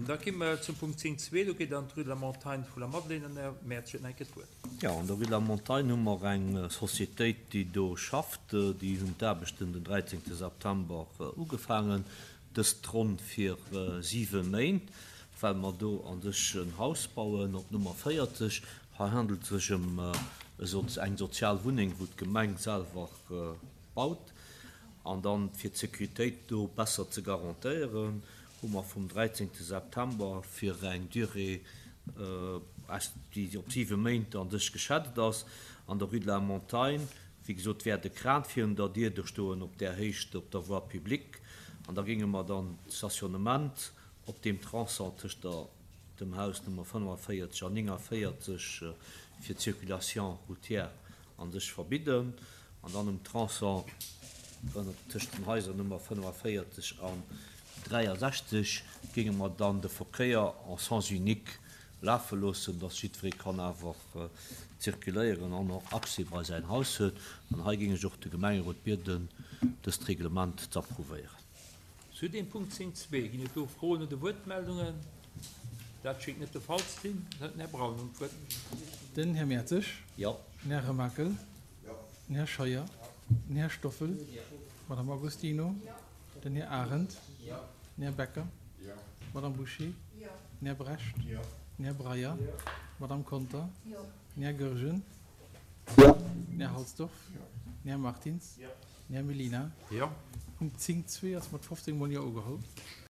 Da gi mer zum Punkt 10,2. Do geet et an d'Rue de la Montagne vu Lamadelaine an Här Mertz huet nach eng Kéier d'Wuert. Jo, an der Rue de la Montagne hu mer eng Societéit, déi do schafft. Déi hunn d'Aarbechten den 13 September ugefaangen. Dëst ronn fir siwe Méint, well mer do a sech en Haus bauen op Nummer 40. Hei handelt et sech ëm eng sozial Wunneng, wou d'Gemeng selwer baut. An dann, fir d'Sécuritéit do besser ze garantéieren, hu mer vum 13 September fir eng Durée, déi op siwe Méint a sech geschätzt ass, an der Rue de la Montagne, wéi gesot, wäert e Kran virun der Dier do stoen op där Héicht op der Voie publique. An da géinge mer dann d'Stationnement op deem Tronçon tëscht der dem Haus Nummer 45 an 49 fir d'Circulation routière a sech verbidden an dann um Tronçon tëscht den Haiser Nummer 45 an 63 géinge mer dann de Verkéier en sens unique lafe loossen, dass jiddweree kann awer zirkuléieren an och Accès bei säin Haus huet. An hei géing ech och de Gemengerot bieden, dëst Reglement z'approuvéieren. Zu deem Punkt 10,2, ginn et do Froen oder Wuertmeldungen? Dat schéngt net de Fall ze sinn. Dann huet den Här Braun nun d'Wuert. Den Här Mertzig. Jo. Den Här Remakel. Jo. Den Här Scheuer. Den Här Stoffel. Jo. D'Madame Agostino. Jo. Den Här Arendt. Jo. Den Här Becker. Jo. D'Madame Bouché. Jo. Den Här Brecht. Jo. Den Här Breyer. Jo. D'Madame Conter. Jo. Den Här Goergen. Jo. Den Här Halsdorf. Jo. Den Här Martins. Jo. Den Här Mellina. Jo. Punkt 10,2 ass mat 15 mol Jo ugeholl.